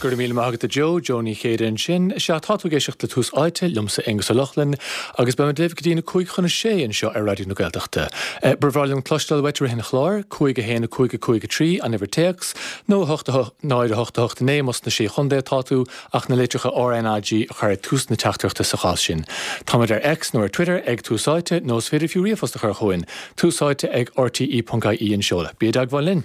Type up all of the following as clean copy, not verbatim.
Go raibh míle maith agat a Joe, Joe Ní Chéide ansin. Sea, tá tú ag éisteacht le Tús Áite, liomsa Aonghus Ó Lochlainn, agus beidh muid libh go dtí na 5 chun a 6 anseo ar Raidió na Gaeltachta. Ba bhreá liom cloisteáil uait i rith an chláir, 5 1 5 5 3 an uimhir téacs, nó 8 8 0 8 8 9 más sna Sé Chontae atá tú, ach na litreacha RnaG a chur ag tús na teachtaireachta sa chás sin. Táimid ar X nó ar Twitter ag Tús Áite, nó is féidir fiú ríomhphost a chur chugainn, túsáite ag rte.ie an seoladh. Bí i dteagmháil linn!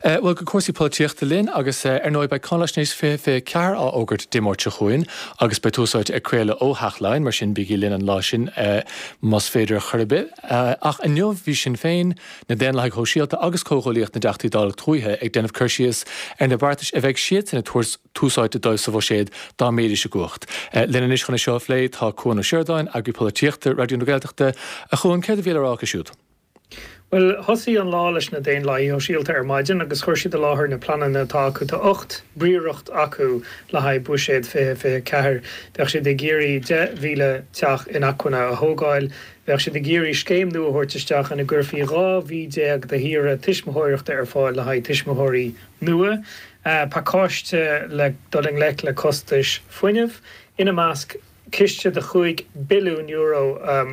Bhuel, go cúrsaí polaitíochta linn agus ar ndóigh beidh Cáinaisnéis 2024 á fhógairt Dé Máirt seo chugainn agus beidh Tús Áite ag craoladh ó Theach Laighean, mar sin bígí linn an lá sin más féidir chor ar bith. Ach inniu bhí Sinn Féin, na Daonlathaigh Shóisialta agus Comhghuaillíocht na dTeachtaí Dála Tuaithe ag déanamh cur síos ar na beartais a bheadh siadsan ag tabhairt tús áite dóibh sa bhuiséad dá mbeidís i gcumhacht. Linn anois chun é seo a phlé tá Cuan Ó Seireadáin, Eagraí Polaitíochta Raidió na Gaeltachta. A Chuain, céard a bhí le rá acu siúd? Bhuel, thosaigh an lá leis na Daonlathaigh Shóisialta ar maidin agus chuir siad i láthair na pleananna atá acu. Tá 18 bpríoracht acu le haghaidh Buiséad 2024. Bheadh siad ag iarraidh 10,000 teach inacmhainne a thógáil. Bheadh siad ag iarraidh scéim nua a thabhairt isteach ina gcuirfí 12 mhí de shaoire tuismitheoireachta ar fáil le haghaidh tuismitheoirí nua. Pacáiste le dul i ngleic le costais fuinnimh ina measc. ciste de €5 billiún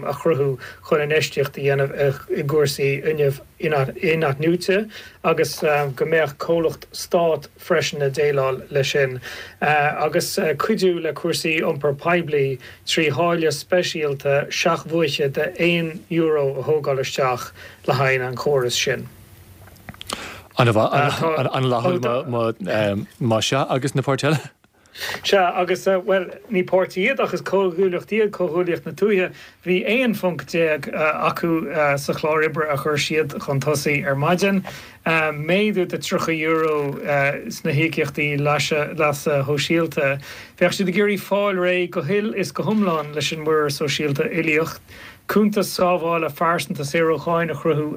a chruthú chun infheistíocht a dhéanamh i gcúrsaí fuinnimh in-athnuaite agus go mbeadh comhlacht stáit freisin ag déileáil leis sin, agus cuidiú le cúrsaí iompar poiblí trí tháille speisialta seachbhuaice de €1 a thógáil isteach le haghaidh an chórais sin. An-fhlaithiúil más ea, agus na páirtithe eile? Sea, agus, bhuel, ní páirtí iad ach is comhghuaillíocht iad, Comhghuaillíocht na Tuaithe. Bhí 11 phonc acu sa chlár oibre a chuir siad chun tosaigh ar maidin. Méadú de €30 sna híocaíochtaí leasa shóisialta. Bheadh siad ag iarraidh fáil réidh go huile is go hiomlán leis an muirear sóisialta uilíoch. Cuntas sábhála phearsanta saor ó cháin a chruthú.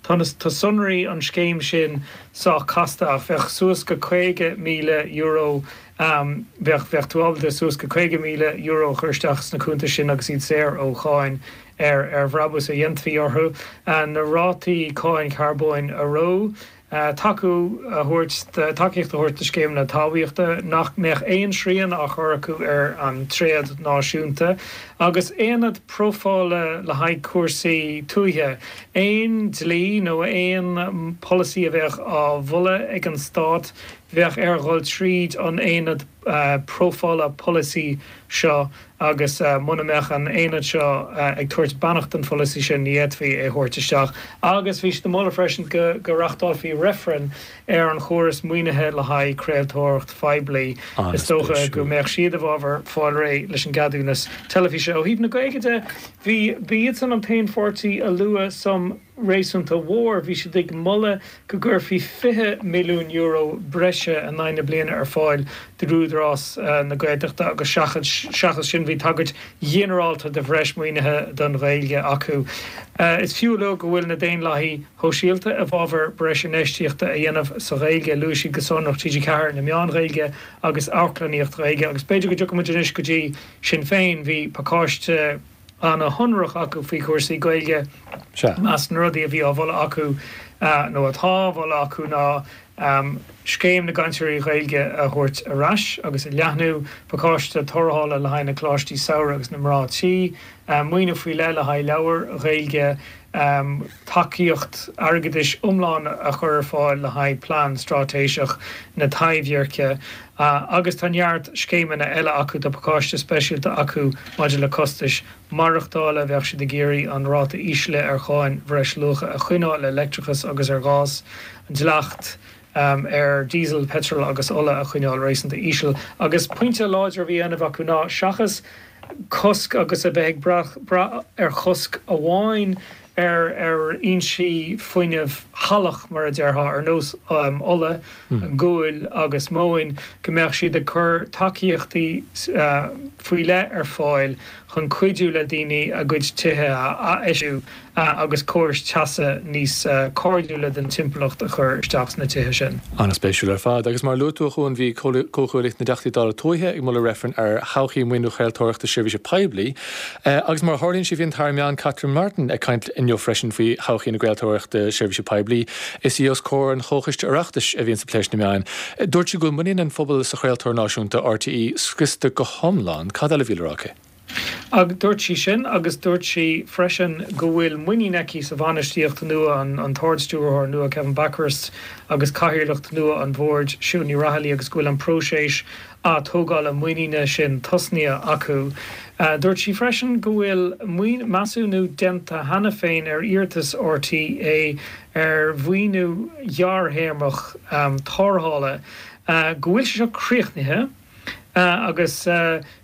Tá sonraí an scéim sin sách casta ach bheadh suas go €50,000 bheadh bheadh tú ábalta suas go €50,000 a chur isteach sna cuntais sin agus iad saor ó cháin ar ar bhrabús a dhéanfaí orthu. Na rátaí cáin charbóin a reo, tacú a thabhairt tacaíocht a thabhairt do scéimeanna talmhaíochta, nach mbeadh aon srian á chur acu ar an tréad náisiúnta, agus aonad profála le haghaidh cúrsaí tuaithe. Aon dlí nó aon pholasaí a bheadh á mholadh ag an stát, bheadh air dhul tríd an aonad profála polasaí seo agus muna mbeadh an aonad seo ag tabhairt beannacht don pholasaí sin, ní fhéadfaí é a thabhairt isteach. Agus bhí siad ag moladh freisin go reachtálfaí reifreann ar an chóras maoinithe le haghaidh craoltóireacht phoiblí. Is dócha go mbeadh siad i bhfabhar fáil réidh leis an gceadúnas teilifíse. Ó thaobh na Gaeilge de, Bhí, ba iadsan an t-aon pháirtí a luaigh suim réasúnta mhór. Bhí siad ag moladh go gcuirfí €20 milliún breise in aghaidh na bliana ar fáil d'Údarás na Gaeltachta agus seachas sin bhí tagairt ghinearálta do bhreis maoinithe don Ghaeilge acu. Is fiú a lua go bhfuil na Daonlathaigh Shóisialta i bhfabhar breis infheistíochta a dhéanamh sa Ghaeilge. Luaigh siad go sonrach TG4, na meáin Ghaeilge agus amharclannaíocht Ghaeilge agus b'fhéidir go dtiocfaidh muid anois go dtí Sinn Féin, bhí pacáiste ana-shonrach acu faoi chúrsaí Gaeilge. Sea. Measc na rudaí a bhí á mholadh acu, nó atá á mholadh acu, ná Scéim na gCainteoirí Gaeilge a thabhairt ar ais agus a leathnú, pacáiste tarrthála le haghaidh na coláistí samhraidh agus na mná tí, maoiniú faoi leith le haghaidh leabhair Ghaeilge, tacaíocht airgeadais iomlán a chur ar fáil le haghaidh Plean Straitéiseach na Taibhdheirce agus tá neart scéimeanna eile acu. Tá pacáiste speisialta acu maidir le costais maireachtála. Bheadh siad ag iarraidh an ráta íslithe ar cháin bhreisluacha a choinneáil ar leictreachas agus ar ghás, an dleacht ar diesel, peitreal agus ola a choinneáil réasúnta íseal. Agus pointe láidir a bhí á dhéanamh acu ná seachas cosc agus a bheith ag brath ar chosc amháin ar ar fhoinsí fuinnimh shalach, mar a déarfá, ar nós ola, guail agus móin, go mbeadh siad ag cur tacaíochtaí faoi leith ar fáil chun cuidiú le daoine a gcuid tithe a athfheistiú. Agus córais teasa níos cairdiúla don timpeallacht a chur isteach sna tithe sin. An-spéisiúil ar fad. Agus mar a luaigh tú, a Chuain, bhí Comhghuaillíocht na dTeachtaí Dála Tuaithe ag moladh reifrinn ar thodhchaí maoiniú chraoltóireachta seirbhíse poiblí. Agus mar a tharlaíonn sé, bhí an tAire Meán Catherine Martin ag caint inniu freisin faoi thodhchaí na gcraoltóireachta seirbhíse poiblí. Is í os comhair an Chomhchoiste Oireachtais a bhíonns ag plé leis na meáin. Dúirt sí go bhfuil muinín an phobail sa chraoltóir náisiúnta, RTÉ, scriosta go hiomlán. Cad eile a bhí le rá aici? Ach dúirt sí sin agus dúirt sí freisin go bhfuil muinín aici sa bhainistíocht nua, an tArd-Stiúrthóir nua Kevin Bakhurst agus cathaoirleach nua an bhoird Siún Ní Raghallaigh agus go bhfuil an próiseas atógála muiníne sin tosnaithe acu. Dúirt sí freisin go bhfuil measúnú déanta cheana féin ar iarratas RTÉ ar mhaoiniú gearrthéarmach tarrthála, go bhfuil sé seo críochnaithe agus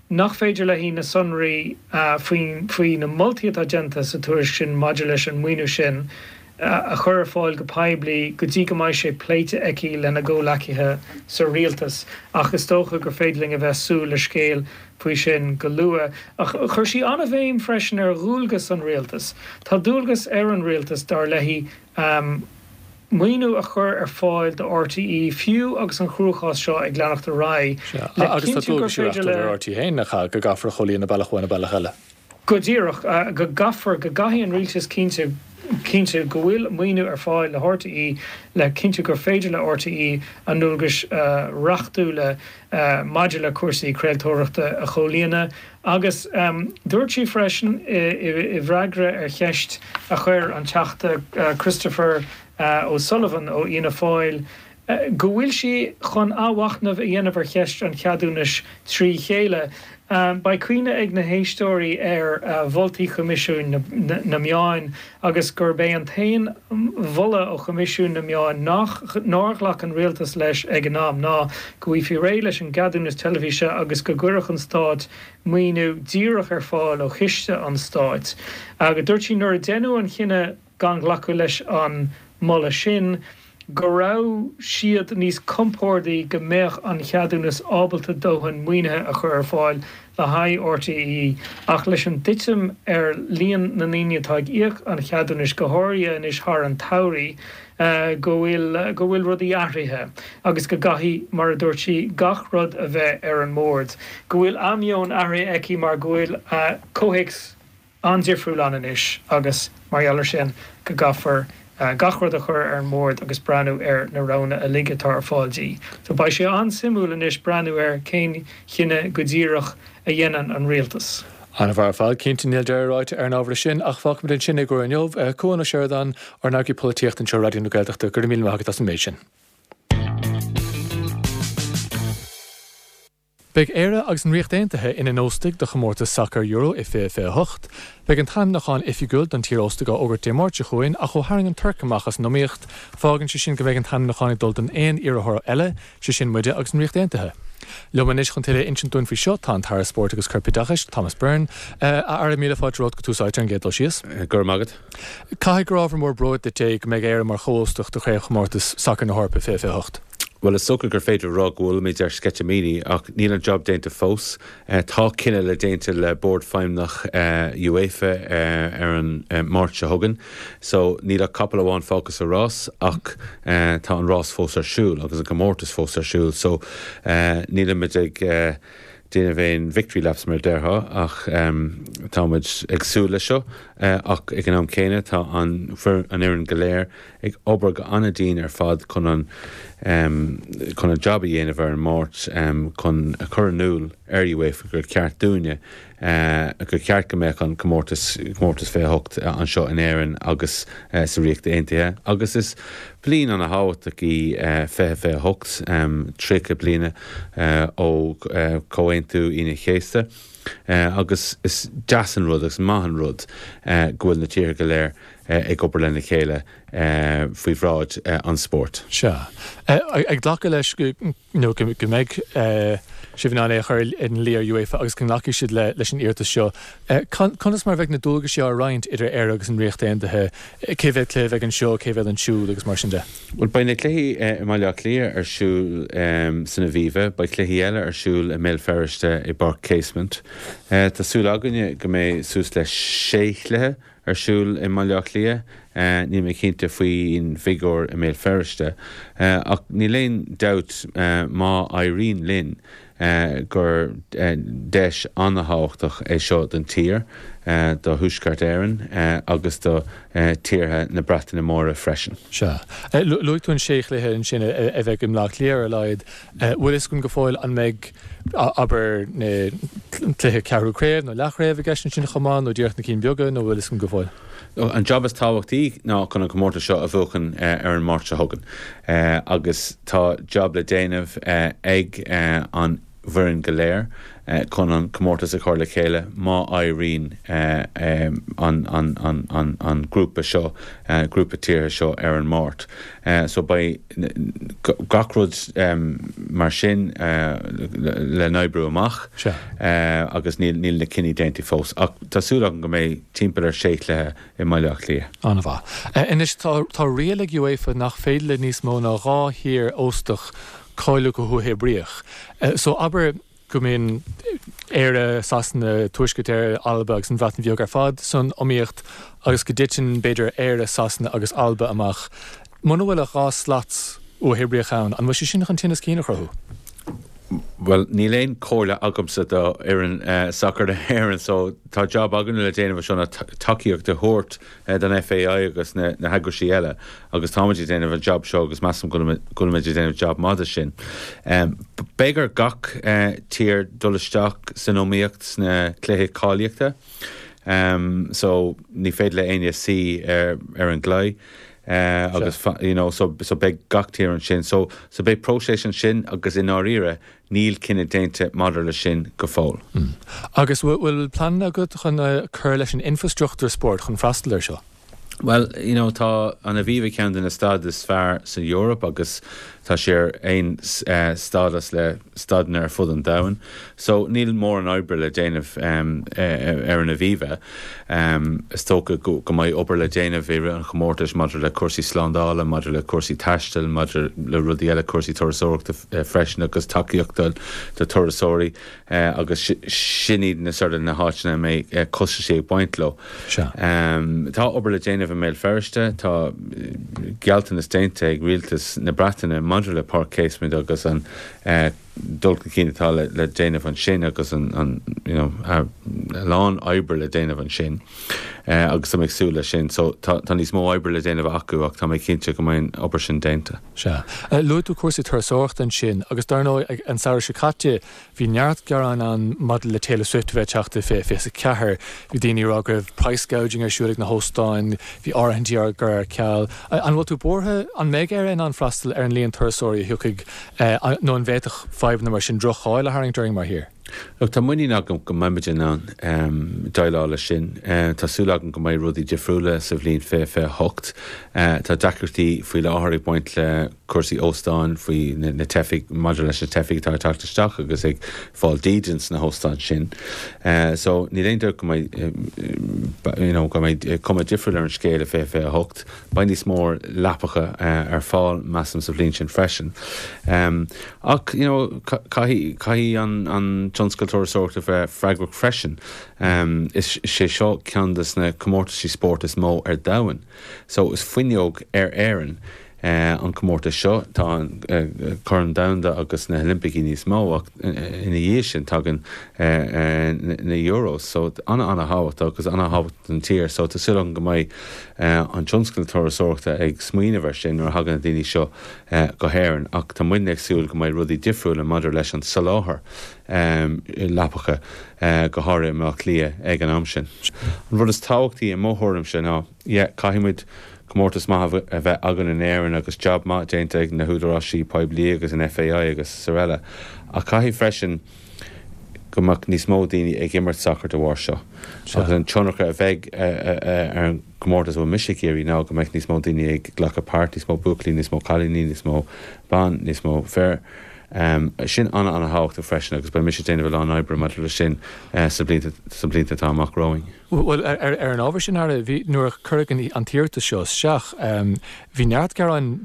nach féidir léi na sonraí faoi na moltaí atá déanta sa tuairisc sin maidir leis an maoiniú sin a chur ar fáil go poiblí go dtí go mbeidh sé pléite aici lena gcomhleacaithe sa rialtas. Ach is dócha gur féidir linn a bheith súil le scéal faoi sin go luath. Ach chuir sí an-bhéim freisin ar dhualgas an rialtais. Tá dualgas ar an rialtas, dar léi, maoiniú a chur ar fáil do RTÉ, fiú agus an cruachás seo ag leanacht ar aghaidh, le Agus tá cinntiú gur dualgaisí féidir reachtúla le. ar RTÉ féin, nach ea, go gcaithfear a chomhlíonadh bealach amháin nó bealach eile. Go díreach, go gcaithfear, go gcaithfidh an rialtas cinntiú, cinntiú go bhfuil maoiniú ar fáil le RTÉ le cinntiú gur féidir le RTÉ a ndualgais reachtúla maidir le cúrsaí craoltóireachta a chomhlíonadh. Agus dúirt sí freisin i bhfreagra ar cheist a chuir an Teachta Christopher O'Sullivan ó Fhianna Fáil go bhfuil sí chun athmhachnamh a dhéanamh ar cheist an cheadúnais trí chéile. Beidh cuimhne ag na héisteoirí ar mholtaí Choimisiún na Meán agus gurb é an t-aon mholadh ó Choimisiún na Meán nach nár ghlac an rialtas leis ag an am ná go bhfaighfí réidh leis an gceadúnas teilifíse agus go gcuirfeadh an stát maoiniú díreach ar fáil ó chiste an stáit. Agus dúirt sí nuair a deineadh an chinneadh gan ghlacadh leis an moladh sin, go raibh siad níos compordaí go mbeadh an cheadúnas ábalta dóthain maoinithe a chur ar fáil le haghaidh RTÉ ach leis an dtitim ar líon na ndaoine atá ag íoc an cheadúnais, go háirithe anois thar an tsamhraidh, go bhfuil go bhfuil rudaí athraithe agus go gcaithfidh, mar a dúirt sí, gach rud a bheith ar an mbord. Go bhfuil a meon athraithe aici mar go bhfuil comhthéacs an-difriúil ann anois agus, mar gheall air sin, go gcaithfear gach rud a chur ar an mbord agus breathnú ar na roghanna uilig atá ar fáil di. So beidh sé an-suimiúil anois breathnú ar cén chinneadh go díreach a dhéanann an rialtas. An-mhaith ar fad. Cinnte, níl deireadh ráite ar an ábhar sin, ach fágfaimid ansin é i gcomhair inniu. Cuan Ó Seireadáin, ár n-eagraí polaitíochta anseo ar Raidió na Gaeltachta, go raibh míle maith agat as an méid sin. Beidh Éire agus an Ríocht Aontaithe ina n-óstaigh do chomórtas sacair Euro i 2028. Beidh an t-ainmniúchán oifigiúil don tír óstach á fhógairt Dé Máirt seo chugainn ach ó tharraing an Tuirc amach as an iomaíocht, fágann sé sin go mbeidh an t-ainmniúchán ag dul don aon iarrthóir eile, sé sin muide agus an Ríocht Aontaithe. Liom anois chun tuilleadh a insint dúinn faoi seo tá an tAire Spóirt agus Corpoideachais, Thomas Byrne. A Aire, míle fáilte romhat go Tús Áite ar an gcéad dul síos. Go raibh maith agat. Caithfidh gur ábhar mór bróid duit é go mbeidh Éire mar chomhóstach do Chraobhchomórtas Sacair na hEorpa 2028. Bhuel, is dócha gur féidir a rá go bhfuilimid ar sceitimíní, ach níl an job déanta fós. Tá cinneadh le déanta le Bord Feidhmeannach UEFA ar an Máirt seo chugainn, so níl ach capall amháin fágtha sa rás, ach tá an rás fós ar siúl agus an comórtas fós ar siúl, so nílimid ag déanamh aon victory laps mar a déarfá, ach táimid ag súil leis seo, ach ag an am céanna tá an fhoireann go léir ag obair go an-dian ar fad chun an chun an job a dhéanamh ar an Máirt chun a chur in iúl ar UEFA gur ceart dúinne gur ceart go mbeadh an comórtas comórtas 28 anseo in Éirinn agus sa Ríocht Aontaithe agus is bliain ana-thábhachtach í 2028, 30 bliana ó Chomhaontú Aoine an Chéasta agus is deas an rud agus maith an rud go bhfuil na tíortha go léir ag obair lena chéile faoi bhráid an spóirt. Sea. Ag glacadh leis go mbeidh sibh in ann é a chur ina luí ar UEFA agus go nglacfaidh siad leis an iarratas seo, conas mar a bheidh na dualgaisí á roinnt idir Éire agus an Ríocht Aontaithe? Cé mhéad cluiche a bheidh anseo, cé mhéad ansiúd agus mar sin de? Bhuel, beidh na cluichí i mBaile Átha Cliath ar siúl san Aviva, beidh cluichí eile ar siúl i mBéal Feirste i bPáirc Casement. Tá súil againne go mbeidh suas le sé chluiche. ar siúl i mBaile Átha Cliath. Níl mé cinnte faoin bhfigiúr i mBéal Feirste. Ach níl aon dabht má éiríonn linn gur deis an-thábhachtach é seo don tír, do Thuaisceart Éireann agus do tíortha na Breataine Móire freisin. Sea. Luaigh tú an sé chluiche ansin a bheidh i mBleá Cliath ar a laghad. Bhfuil fhios againn go fóill an mbeidh, abair, na cluiche ceathrú craobh nó leathchraobh i gceist ansin chomh maith nó díreach na cinn beaga nó bhfuil fhios againn go fóill? An jab is tábhachtaí ná chun an comórtas seo a bhuachan ar an Máirt seo chugainn agus tá jab le déanamh ag an bhfoireann go léir chun an comórtas a chur le chéile má éiríonn an grúpa seo, grúpa tíortha seo ar an Máirt. So beidh gach rud mar sin le n-oibriú amach agus níl na cinní déanta fós ach tá súil agam go mbeidh timpeall ar sé chluiche i mBaile Átha Cliath. An-mhaith. Anois tá riail ag UEFA nach féidir le níos mó ná 2 thír óstach cáiliú go huathoibríoch. So abair go mbíonn Éire, Sasana, Tuaisceart Éireann, Alba agus an Bhreatain Bheag ar fad san iomaíocht agus go dtiteann b'fhéidir Éire, Sasana agus Alba amach. Muna bhfuil ach 2 slat uathoibríoch ann, an bhfuil sé sin chun tinneas cinn a chruthú? Bhuel, níl aon chomhairle agamsa do fhoireann sacair na hÉireann so tá jab againne le déanamh anseo ná tacaíocht a thabhairt don FAI agus na heagraisí eile agus táimid ag déanamh an jab seo agus measaim go bhfuilimid ag déanamh jab maith de sin. Beidh ar gach tír dul isteach san iomaíocht sna cluichí cáilíochta so ní féidir le éinne suí ar an gclaí. agus you know so so beidh gach tír ansin so so beidh próiseas ansin agus i ndáiríre níl cinneadh déanta maidir leis sin go fóill. Agus bhfuil pleananna agat chun cur leis an infreastruchtúr spóirt chun freastal air seo? Bhuel, you know, tá an Aviva ceann de na staid is fearr san Eoraip agus tá sé ar aon stádas le staideanna ar fud an domhain. So níl mórán oibre le déanamh ar an Aviva. Is dócha go mbeidh obair le déanamh i rith an chomórtais maidir le cúrsaí slándála, maidir le cúrsaí taistil, maidir le rudaí eile, cúrsaí turasóireachta freisin agus tacaíocht do turasóirí agus sin iad na sort of na háiteanna a mbeidh costaisí ag baint leo. Tá obair le déanamh i mBéal Feirste. Tá gealltanas déanta ag rialtas na Breataine maidir le Páirc Casement agus an dul chun cinn atá le déanamh ansin agus an you know a lán oibre le déanamh ansin agus tá mé ag súil leis sin. So tá níos mó oibre le déanamh acu ach tá mé cinnte go mbeidh an obair sin déanta. Sea. Luaigh tú cúrsaí turasóireachta ansin agus dar ndóigh an samhradh seo caite Bhí neart gearáin ann maidir le Taylor Swift a bheith ag teacht i 2024. Bhí daoine ag rá go raibh price gouging ar siúl ag na hóstáin, bhí áirithintí á gcur ar ceal. An bhfuil tú buartha an mbeidh Éire in ann freastal ar an líon turasóirí a thiocfaidh nó an bhféadfadh fadhbanna mar sin droch-cháil a tharraingt orainn mar thír? Look, tá muinín agam go mbeimid in ann déileáil leis sin. Tá súil agam go mbeidh rudaí difriúla sa bhliain 2028. Tá deacrachtaí faoi láthair ag baint le cúrsaí óstáin faoi na teifigh, maidir leis na teifigh atá ag teacht isteach agus ag fáil dídean sna hóstáin sin. So níl aon dabht go mbeidh you know go mbeidh cuma difriúil ar an scéal i 2028. Beidh níos mó leapacha ar fáil measaim sa bhliain sin freisin. Ach you know caithfidh caithfidh an an tionscal turasóireachta bheith freagrach freisin. Is sé seo ceann de na comórtaisí spóirt is mó ar domhan. So is fuinneog ar Éirinn an comórtas seo. Tá an Corn Domhanda agus na hOilimpicí níos mó ach ina dhiaidh sin tagann na Euros. So ana-ana-thábhachtach agus ana-thábhachtach don tír. So tá súil agam go mbeidh an tionscal turasóireachta ag smaoineamh ar sin nuair a thagann na daoine seo go hÉirinn. Ach tá muidne ag súil go mbeidh rudaí difriúla maidir leis an soláthar leapacha, go háirithe i mBleá Cliath ag an am sin. An rud is tábhachtaí i mo thuairimse ná, Yeah, caithfidh muid comórtas maith a bheith againn in Éirinn agus jab maith déanta ag na húdaráisí poiblí agus an FAI agus araile. Ach caithfidh freisin go mbeadh níos mó daoine ag imirt sacair de bharr seo. Agus an tionchar a bheidh ar an gcomórtas a bhfuil mise ag iarraidh ná go mbeadh níos mó daoine ag glacadh páirt, níos mó buachaillí, níos mó cailíní, níos mó ban, níos mó fir. Sin an-an-thábhachtach freisin agus beidh mise ag déanamh a lán oibre maidir leis sin sna blianta sna blianta atá amach romhainn. Bhuel, ar an ábhar sin, Aire, bhí, nuair a cuireadh an t-iarratas seo isteach, bhí neart gearáin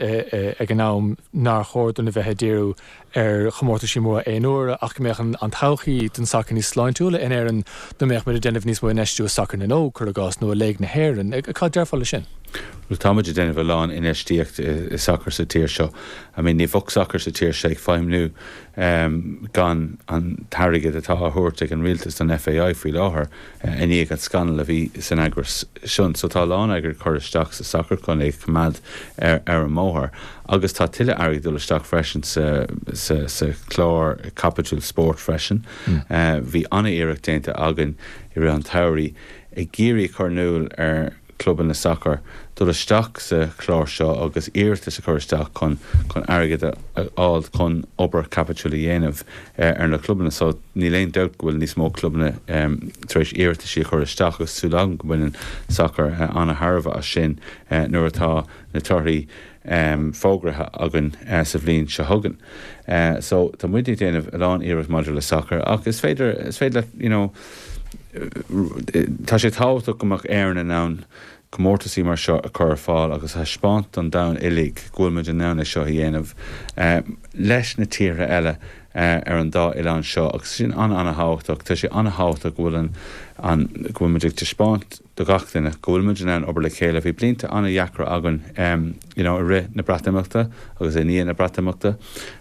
ag an am nár chóir dúinn a bheith ag díriú ar chomórtaisí móra aon uaire ach go mbeadh an todhchaí don sacar níos sláintiúla in Éirinn dá mbeadh muid ag déanamh níos mó infheistiú i sacar na n-óg, cuir i gcás, nó i Léig na hÉireann. Cad déarfá leis sin? Bhuel, tá muid ag déanamh a lán infheistíocht i sacar sa tír seo. I mean, ní bheadh sacar sa tír seo ag feidhmniú gan an t-airgead atá á thabhairt ag an rialtas don FAI faoi láthair i ndiaidh an scannal a bhí san eagras sin. So tá a lán airgid curtha isteach sa sacar chun é a choimeád ar an mbóthar agus tá tuilleadh airgid ag dul isteach freisin sa sa sa chlár Caipiteal Spóirt freisin. Bhí an-iarracht déanta againn i rith an tsamhraidh ag iarraidh a chur in iúl ar clubanna sacair dul isteach sa chlár seo agus iarratas a chur isteach chun chun airgead a fháil chun obair chaipitiúil a dhéanamh ar na clubanna. So níl aon dabht go bhfuil níos mó clubanna tar éis iarrataisí a chur isteach agus súil agam go mbaineann sacar an-thairbhe as sin nuair atá na torthaí fógraithe againn sa bhliain seo chugainn. So tá muid ag déanamh a lán iarracht maidir le sacar ach is féidir, is féidir leat, you know, tá sé tábhachtach go mbeadh Éirinn in ann comórtaisí mar seo a chur ar fáil agus a thaispeáint don domhan uilig go bhfuil muid in ann é seo a dhéanamh leis na tíortha eile ar an dá oileán seo agus sin an-an-thábhachtach. Tá sé an-thábhachtach go bhfuil an, an, go bhfuil muid ag taispeáint do gach duine go bhfuil muid in ann obair le chéile. Bhí blianta an-dheacra againn you know i rith na Breatimeachta agus i ndiaidh na Breatimeachta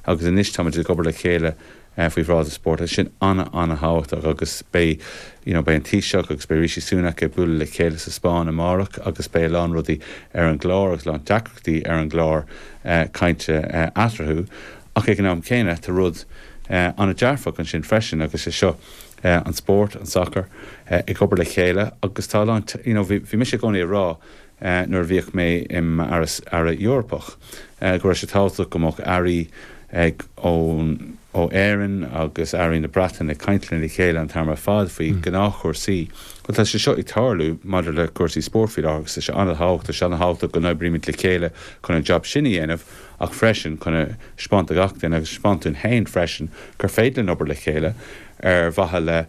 agus anois táimid ag obair le chéile faoi bhráid an spóirt agus sin an-an-thábhachtach agus beidh you know beidh an Taoiseach agus beidh Rishi Sunak ag bualadh le chéile sa Spáinn amárach agus beidh a lán rudaí ar an gclár agus a lán deacrachtaí ar an gclár cainte eatarthu ach ag an am céanna tá rud an-dearfach ansin freisin agus é seo an spórt, an sacar, ag obair le chéile agus tá a lán, you know, bhí mise i gcónaí ag rá nuair a bhíodh mé i m'aire Eorpach go raibh sé tábhachtach go mbeadh airí ag ón ó Éirinn agus airí na Breataine ag caint lena chéile an t-am ar fad faoi ghnáthchúrsaí. Bhuel tá sé seo ag tarlú maidir le cúrsaí spóirt faoi láthair agus tá sé an-thábhachtach, tá sé an-thábhachtach go n-oibrímid le chéile chun an jab sin a dhéanamh ach freisin chun a thaispeáint do gach duine agus a thaispeáint dúinn féin freisin gur féidir linn obair le chéile ar mhaithe le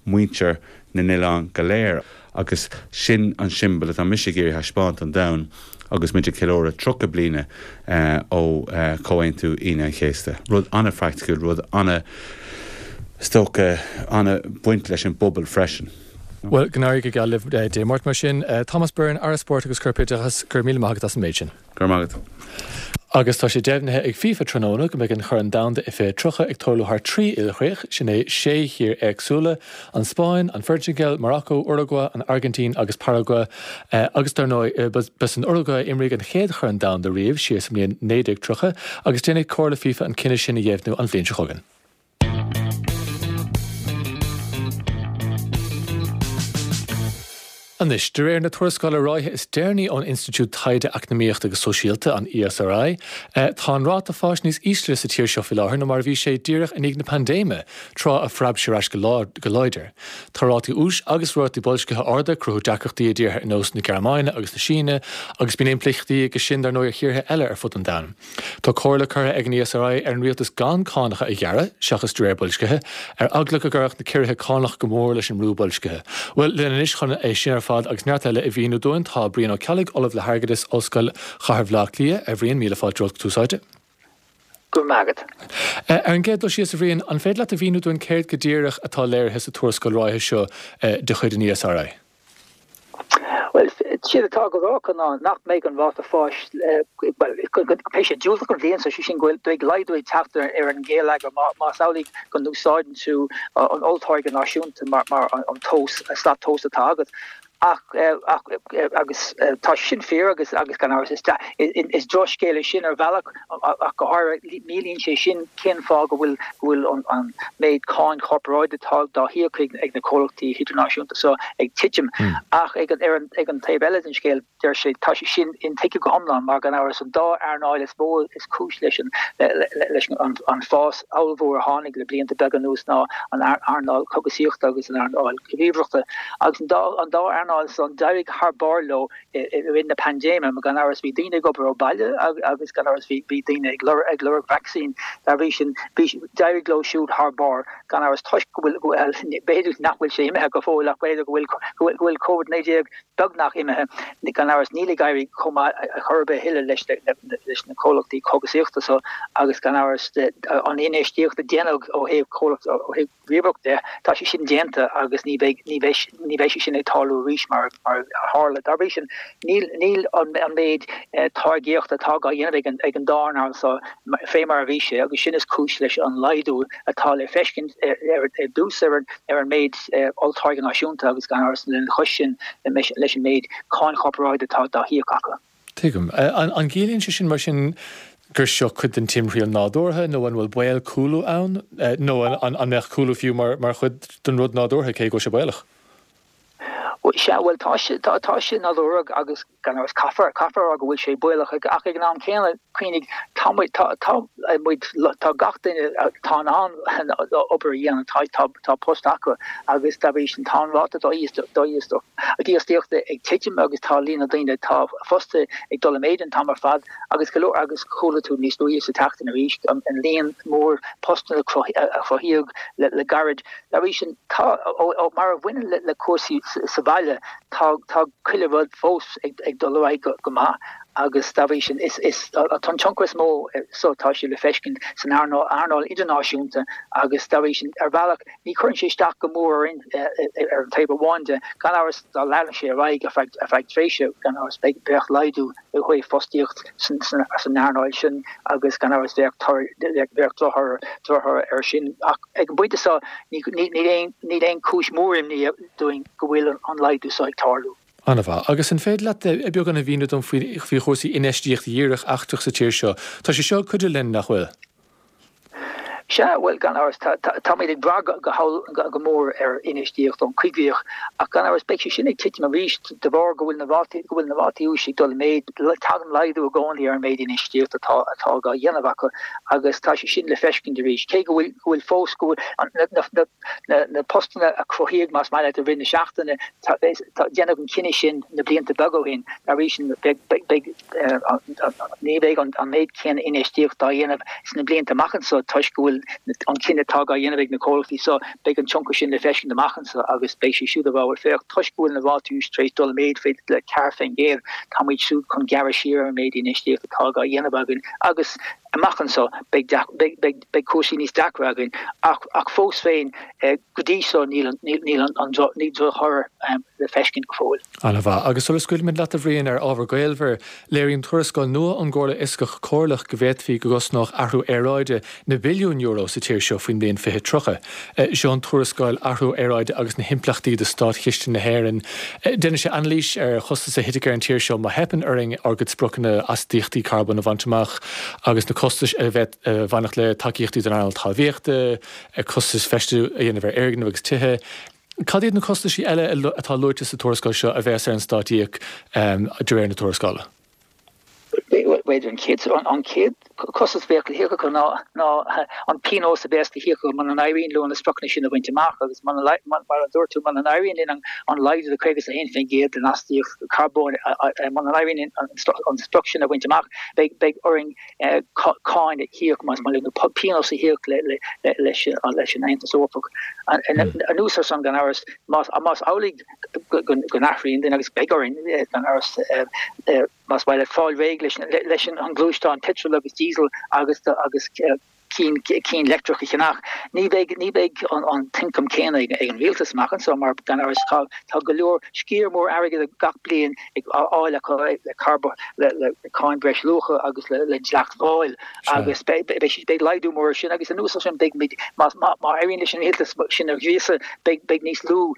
muintir na n-oileán go léir agus sin an siombail atá mise ag iarraidh a thaispeáint don domhan agus muid ag ceiliúradh 30 bliana ó Chomhaontú Aoine an Chéasta. Rud an-phraiticiúil, rud ana, is dócha, ana-bhaint leis an bpobal freisin. Bhuel, go n-éirí go geal libh Dé Máirt mar sin. Thomas Byrne, Aire Spóirt agus Corpoideachais, go raibh míle maith agat as an méid sin. Go raibh maith agat. Agus tá sé deimhnithe ag FIFA tráthnóna go mbeidh an Chorn Domhanda i 2030 ag tarlú thar 3 ilchríoch, sin é sé thír éagsúla, An Spáinn, An Phortaingéil, Maracó, Uragua, An Airgintín agus Paragua. Agus dar ndóigh, ba san Uragua a imríodh an chéad Chorn Domhanda riamh, siar sa mbliain 1930, agus déanfaidh Comhairle FIFA an cinneadh sin a dheimhniú an bhliain seo chugainn. Anois, de réir na tuarascála ráithe is deireanaí ón Institiúid Taighde Eacnamaíochta agus Sóisialta, an ESRI, tá an ráta fáis níos ísle sa tír seo faoi láthair ná mar a bhí sé díreach i ndiaidh na paindéime, tráth a phreab sé ar ais go láidir. Tá rátaí úis agus rátaí boilscithe arda ag cruthú deacrachtaí i dtíortha ar nós na Gearmáine agus na Síne, agus bíonn impleachtaí aige sin dar ndóigh ar thíortha eile ar fud an domhain. Tá comhairle curtha ag an ESRI ar an rialtas gan cánacha a ghearradh, seachas de réir boilscithe, ar eagla go gcuirfeadh na ciorruithe cánach go mór leis an mbrú boilscithe. Bhuel, linn anois chun é sin ar fad agus neart eile a mhíniú dúinn tá Brian Ó Ceallaigh, Ollamh le hAirgeadas, Ollscoil Chathair Bhaile Átha Cliath. A Bhriain, míle fáilte romhat go Tús Áite. Go raibh maith agat. Ar an gcéad dul síos, a Bhriain, an féidir leat a mhíniú dúinn céard go díreach atá léirithe sa tuarascáil ráithe seo de chuid an ESRI? Bhuel, séard atá á rá acu ná nach mbeidh an ráta fáis, bhuel, go mbeidh sé diúltach an bhliain seo, sé sin go bhfuil laghdú ag teacht ar an ngeilleagar más amhlaidh go n-úsáideann tú an olltáirge náisiúnta mar an tomhas, slat tomhais atá agat. Ach, agus tá sin fíor agus gan amhras is drochscéal é sin ar bhealach ach go háirithe míníonn sé sin cén fáth go bhfuil go bhfuil an méid cáin chorparáide atá dá híoc ag na comhlachtaí hidirnáisiúnta seo ag titim. Ach ag an ar an ag an taobh eile den scéal deir sé tá sé sin intuigthe go hiomlán mar gan amhras an dá earnáil is mó is cúis leis an leis an an fás ollmhór a tháinig le blianta beaga anuas ná an earnáil cógaisíochta agus an earnáil ríomhaireachta. Agus an dá an dá earnáil. earnáil san, d'éirigh thar barr leo i rith na paindéime, mar gan amhras bhí daoine ag obair ó bhaile agus gan amhras bhí bhí daoine ag lorg ag lorg vacsaín. Dá bhrí sin, bhí d'éirigh leo siúd thar barr, gan amhras, toisc go bhfuil, bhuel, b'fhéidir nach bhfuil sé imithe go fóill ach b'fhéidir go bhfuil go bhfuil go bhfuil Covid-19 beagnach imithe, gan amhras níl ag éirí chomh maith ar chor ar bith a thuilleadh leis leis na comhlachtaí cógasaíochta so agus gan amhras an infheistíocht a déanadh ó thaobh comhlacht ó thaobh ríomhaireacht de, tá sé sin déanta agus ní bheidh, ní bheidh, ní bheidh sé sin ag tarlú arís mar, mar a tharla. Dá bhrí sin, níl, níl an, an méid táirgíochta atá á dhéanamh ag an, ag an dá earnáil so fé mar a bhí sé agus sin is cúis leis an laghdú atá le feiscint ar, ar dtús ar an, ar an méid olltáirge náisiúnta agus gan amhras lena chois sin leis an méid cáin chorparáide atá dá híoc acu. Tuigim. An gciallaíonn sé sin mar sin gur seo cuid den timthriall nádúrtha nó an bhfuil baol cúlú ann? Nó an mbeadh cúlú fiú mar chuid den rud nádúrtha cé go bhfuil sé baolach? Sea, bhuel tá sé, tá sé nádúrtha agus gan amhras caithfear, caithfear a rá go bhfuil sé baolach ach ag an am céanna, cuimhnigh, tá muid, tá, tá muid, tá gach duine atá in ann obair a dhéanamh, tá, tá, tá post acu agus dá bhrí sin tá an ráta dífhostaíochta ag titim agus tá líon na ndaoine atá fostaithe ag dul i méid an t-am ar fad agus go leor agus chuala tú níos luaithe sa tseachtain arís an líon mór postanna a cruthaíodh le gairid. Dá bhrí sin tá, ó mar a bhaineann le cúrsaí sa bhaile, tá tá chuile rud fós ag dul ar aghaidh go maith agus dá bhrí sin is is tá an tionchar is mó so tá sé le feiscint san earnáil idirnáisiúnta agus dá bhrí sin ar bhealach Ní chuireann sé isteach go mór orainn ar an taobh amháin de. Gan amhras, dá leanfadh sé ar aghaidh ar feadh tréimhse, gan amhras, bheadh laghdú ó thaobh fostaíocht san earnáil sin agus gan amhras bheadh drochthoradh air sin. Ach ag an bpointe seo, níl aon chúis mhór imní dúinn go bhfuil an laghdú seo ag tarlú. An-mhaith. Agus an féidir leat beagán a mhíniú dom faoi chúrsaí infheistíocht dhíreach eachtrach sa tír seo? Tá sé seo ag cuidiú linn, nach bhfuil? Sea, bhuel, gan amhras, táimid ag brath go mór ar infheistíocht ón choigríoch, ach gan amhras, beidh sé sin ag titim arís de bharr go bhfuil na rátaí, go bhfuil na rátaí úis ag dul i méid, tagann laghdú i gcónaí ar an méid infheistíochta atá, atá á dhéanamh acu agus tá sé sin le feiscint arís, cé go bhfuil, go bhfuil fós, go bhfuil na, na, na, na postanna a cruthaíodh, más maith leat, i rith na seachtaine, tá, tá, déanadh an cinneadh sin na blianta beaga ó shin, dá bhrí sin, beidh, beidh, beidh. Ní bheidh an méid céanna infheistíochta á dhéanamh sna blianta amach anseo toisc go bhfuil an cinneadh atá á dhéanamh ag na comhlachtaí seo, beidh an tionchar sin le feiscint amach anseo agus beidh siad siúd ag rá bhuel féach, toisc go bhfuil na rátaí úis tar éis dul i méid fé le 4%, tá muid siúd chun gearradh siar ar an méid infheistíochta atá á dhéanamh againn agus amach anseo beidh beidh cúrsaí níos deacra againn ach ach fós féin go dtí seo níl níl an níl drochthoradh le feiscint go fóill. An-mhaith. Agus sula scaoilfimid leat, a Bhriain, ar ábhar gaolmhar, léiríonn tuarascáil nua ón gComhairle Fhioscach Chomhairleach go bhféadfaí go gcosnódh athrú aeráide na billiúin euro sa tír seo faoin mbliain 2030. Seo an tuarascáil Athrú Aeráide agus na hImpleachtaí do Státchiste na hÉireann. Déanann sé anailís ar chostais a thitfidh ar an tír seo má theipeann orainn ár gcuid spriocanna astaíochtaí carbóin a bhaint amach agus na costais a bhainfeadh le tacaíochtaí don earnáil talmhaíochta, costais feistiú a dhéanamh ar fhoirgnimh agus tithe. Cad iad na costaisí eile atá luaite sa tuarascáil seo a bheas ar an stát íoc de réir na tuarascála? B'fhéidir an chéad an chéad costas a bheadh le híoc acu ná ná an pionós a bheas le híoc acu muna n-éiríonn leo na spriocanna sin a bhaint amach agus mar a dúirt tú muna n-éiríonn linn an laghdú de 51% den astaíocht carbóin muna n-éiríonn linn an sprioc sin a bhaint amach beidh beidh orainn cáin a híoc más maith leat nó pionós a híoc leis an Aontas Eorpach. Anuas ar san gan amhras, más amhlaidh go n-athraíonn duine agus beidh orainn gan amhras más maith leat fáil réidh leis an ngluaisteán peitreal agus díosal agus agus cinn cinn leictreach a cheannach, ní bheidh ní bheidh an t-ioncam céanna ag an rialtas amach anseo mar gan amhras tá tá go leor sciar mór airgid gach bliain ag fháil acu le carbón, le cáin bhreisluacha agus le dleacht mháil agus beidh laghdú mór ar sin agus anuas ar sin beidh muid, má éiríonn leis an rialtas sinn a ghríosadh, beidh níos lú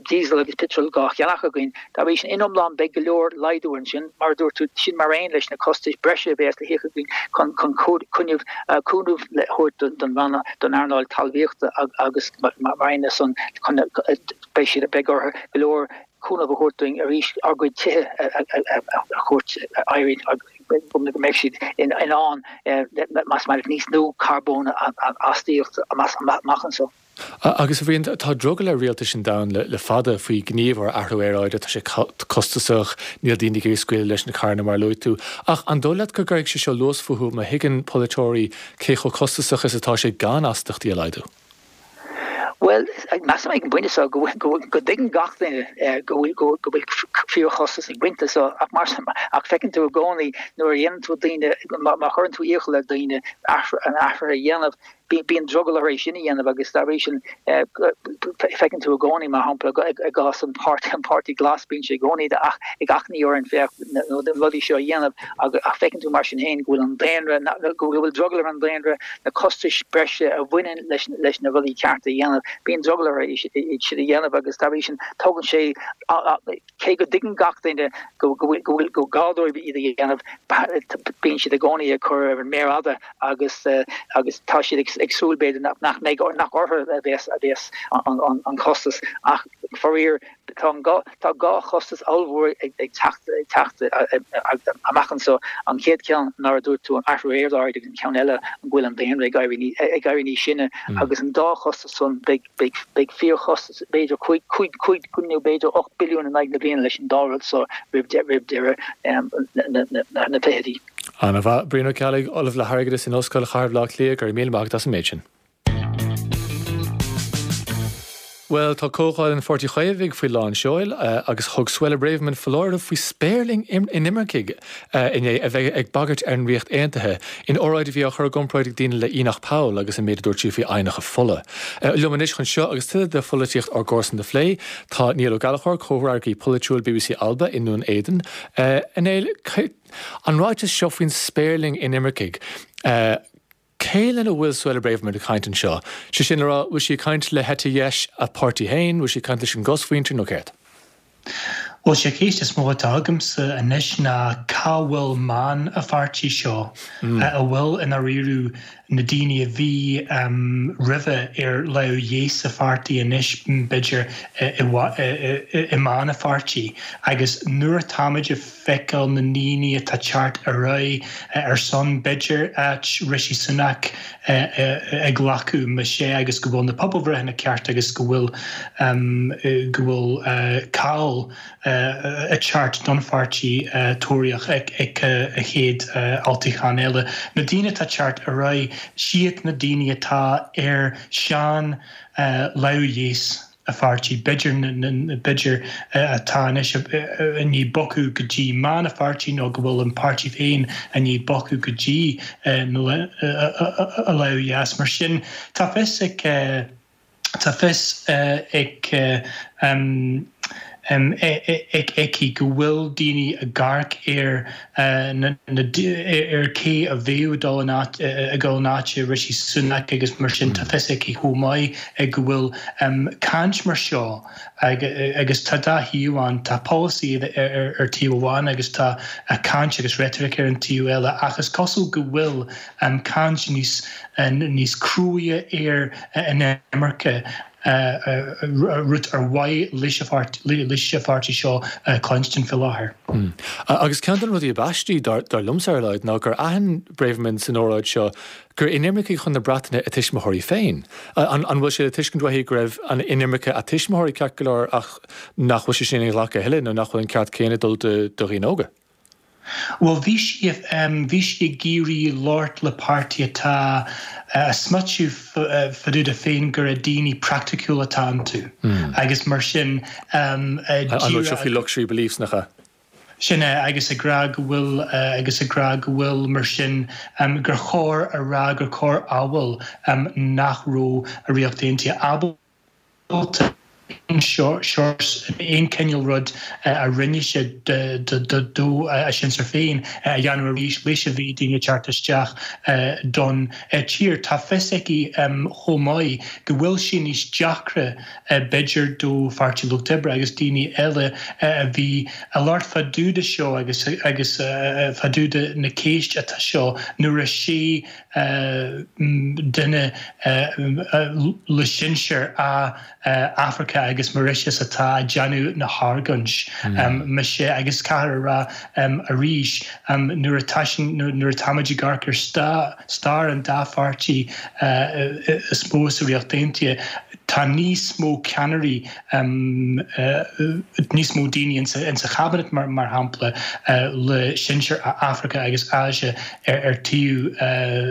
díosal agus peitreal dhá cheannach againn. Dá bhrí sin, in iomlán beidh go leor laghdú ansin, mar a dúirt tú, sin mar aon leis na costais breise a bheas le híoc againn chun cúnamh a thabhairt don don earnáil talmhaíochta agus mar aon leis san chun beidh siad, beidh orthu go leor cúnamh a thabhairt dúinn arís ár gcuid tithe a thabhairt, éirí. go mbeidh siad in ann más maith leat níos lú carbóin a astaíocht amach anseo. Agus a Bhriain, tá drogall ar rialtais an domhain le fada faoi ghníomh ar athrú aeráide, tá sé costasach, níl daoine ag iarraidh scaoileadh leis na carranna mar a luaigh tú. Ach an dóigh leat go gcuirfidh sé seo luas fúthu má thuigeann polaiteoirí cé chomh costasach is atá sé gan astaíochtaí a laghdú? Bhuel, measaim ag an bpointe seo go dtuigeann gach duine go bhfuil fíorchostas ag baint leis seo ach mar ach feiceann tú i gcónaí nuair a dhéanann tú daoine, má chuireann tú iachall ar daoine an athrú a dhéanamh, bíonn drogall orthu é sin a dhéanamh agus dá bhrí sin feiceann tú i gcónaí, mar shampla, i gcás an Páirtí Glas, bíonn sé i gcónaí ag achainí orainn féach na rudaí seo a dhéanamh ach feiceann tú mar sin féin go bhfuil an daonra, go bhfuil drogall ar an daonra na costais breise a bhaineann leis na rudaí cearta a dhéanamh, bíonn drogall orthu iad sin a dhéanamh agus dá bhrí sin tógann sé Cé go dtuigeann gach duine go bhfuil go gá dóibh iad a dhéanamh, bíonn siad i gcónaí ag cur ar an méar fhada agus agus tá siad ag súil b'fhéidir nach mbeidh nach orthu a bheas a bheas an costas ach faraor tá an tá dhá chostas ollmhór ag teacht ag teacht amach anseo. An chéad cheann mar a dúirt tú an athrú aeráide agus an ceann eile an go bhfuil an daonra ag éirí ag éirí níos sine agus an dá chostas san beidh Beidh fíorchostas, b'fhéidir 5 nó b'fhéidir 8 billiún in aghaidh na bliana leis an dá rud seo roimh deireadh na fichidí. Ana-mhaith. Brian Ó Ceallaigh, Ollamh le hAirgeadas in Ollscoil Chathair Bhaile Átha Cliath, go raibh míle maith agat as an méid sin. Bhuel, tá Comhdháil an Pháirtí Chaomhaigh faoi lán seoil agus thug Suella Braverman foláireamh faoi spéirling inimircigh inné a bheith ag bagairt ar an Ríocht Aontaithe in óráid a bhí á chur i gcomparáid ag daoine le Enoch Powell agus an méid a dúirt sí faoi aibhneacha fola. Liom anois chun seo agus tuilleadh de pholaitíocht ár gcomharsan a phlé, tá Niall Ó Gallchóir, comhfhreagraí polaitiúil bbc Alba i nDún Éideann. A Néill, an ráiteas seo faoin spéirling inimircigh, Cé lena bhfuil Suella Braverman ag caint anseo? Sé sin le rá, bhfuil sí ag caint le heite dheis a páirtí féin, bhfuil sí ag caint leis an gcosmhuintir nó céard? Bhuel, sé ceist is mó atá agamsa anois ná cá bhfuil meon a pháirtí seo, a bhfuil i ndáiríre na daoine a bhí roimhe ar lámh dheis a pháirtí anois b'fhéidir i meon a pháirtí agus nuair atáimid ag feiceáil na ndaoine atá teacht ar aghaidh ar son, b'fhéidir, áit Rishi Sunak a ghlacadh, más ea agus go bhfuil na pobalbhreitheanna ceart agus go bhfuil go bhfuil cáil ag teacht don pháirtí Tóraíoch ag a chéad olltoghchán eile. Na daoine atá teacht ar aghaidh, siad na daoine atá ar sean lámh dheis. a pháirtí, b'fhéidir, b'fhéidir, atá anois i ndiaidh bogadh go dtí meon a pháirtí nó go bhfuil an páirtí féin i ndiaidh bogadh go dtí a lámh dheas. Mar sin, tá fios ag, tá fios ag, aici go bhfuil daoine ag amharc ar ar cé a bheadh ag dul in áit ag dul in áit Rishi Sunak agus mar sin tá fios aici chomh maith go bhfuil caint mar seo agus tá dá thaobh ann, tá polasaí ar taobh amháin agus tá caint agus reitoric ar an taobh eile ach is cosúil go bhfuil caint níos níos cruaidhe ar an imirce rud ar mhaith leis an pháirtí seo cluinstin faoi láthair. Agus ceann de na rudaí ab aistí, dar liomsa ar a laghad, ná gur aithin Braverman san óráid seo gur inimircigh chun na Breataine a tuismitheoirí féin. An bhfuil sé le tuiscint uaithi go raibh an inimirce a tuismitheoirí ceart go leor ach nach bhfuil sé sin inghlactha a thuilleadh nó nach bhfuil an ceart céanna ag dul do dhaoine óga? Bhuel, bhí sí, bhí sí ag iarraidh labhairt le páirtí atá a' smaoitiú fá dtaobh de féin gur daoine praiticiúla atá iontu agus mar sin An bhfuil seo faoi luxury beliefs, nach ea? Sin é, agus ag rá go bhfuil, agus ag rá go bhfuil mar sin gur chóir a rá gur chóir amhail nach raibh a Ríocht Aontaithe ábalta aon aon cineál rud a rinne sé do a sinsir féin a dhéanamh arís leis a bhí daoine ag teacht isteach don tír. Tá fios aici chomh maith go bhfuil sé níos deacra b'fhéidir do Pháirtí Lucht Oibre agus daoine eile a bhí a labhairt fá dtaobh de seo agus agus fá dtaobh de na ceist atá seo nuair a sé duine le sinsear Afracach. agus Mauritius atá ag déanamh na hargóint. Mise agus caithfear a rá arís nuair atá sin nuair atáimid ag amharc ar stair an dá pháirtí is mó sa Ríocht Aontaithe, tá níos mó ceannairí, níos mó daoine insa Chabinet mar shampla le sinsir Afraice agus Áise ar taobh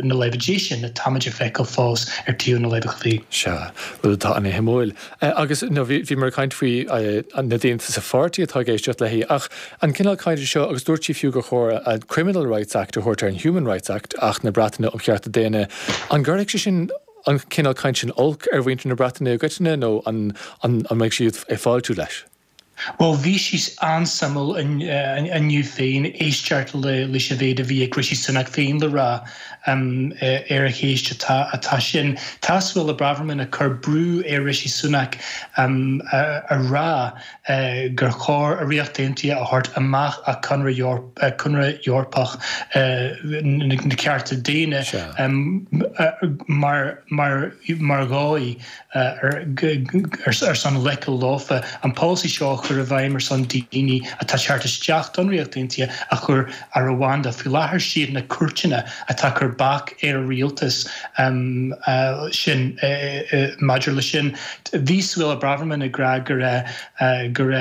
na láimhe deise ná táimid ag feiceáil fós ar taobh na láimhe clí. Sea, rud atá ana-shuimiúil. Agus nó bhíomar ag caint faoi na daoine sa pháirtí atá ag éisteacht léi, ach an cineál cainte seo, agus dúirt sí fiú gur chóir an Criminal Rights Act a thabhairt ar an Human Rights Act, Acht na Breataine um Chearta Daonna, an gcuirfidh sé sin, an cineál cainte sin olc ar mhuintir na Breataine i gcoitinne nó an mbeidh siad ag fáiltiú leis? Bhuel, bhí sé an-suimiúil inniu féin éisteacht leis an mhéid a bhí ag Rishi Sunak féin le rá ar an cheist atá sin. Tá Suella Braverman ag cur brú ar Rishi Sunak a rá gur chóir an Ríocht Aontaithe a thabhairt amach as Conradh Eorpach na Cearta Daonna mar dhóigh ar son glacadh leofa an polasaí seo a chur i bhfeidhm ar son daoine atá ag teacht isteach don Ríocht Aontaithe a chur ar a bhanda. Faoi láthair siad na cúirteanna atá ag cur bac ar an rialtas sin maidir leis sin. Bhí Suella Braverman ag rá gur gur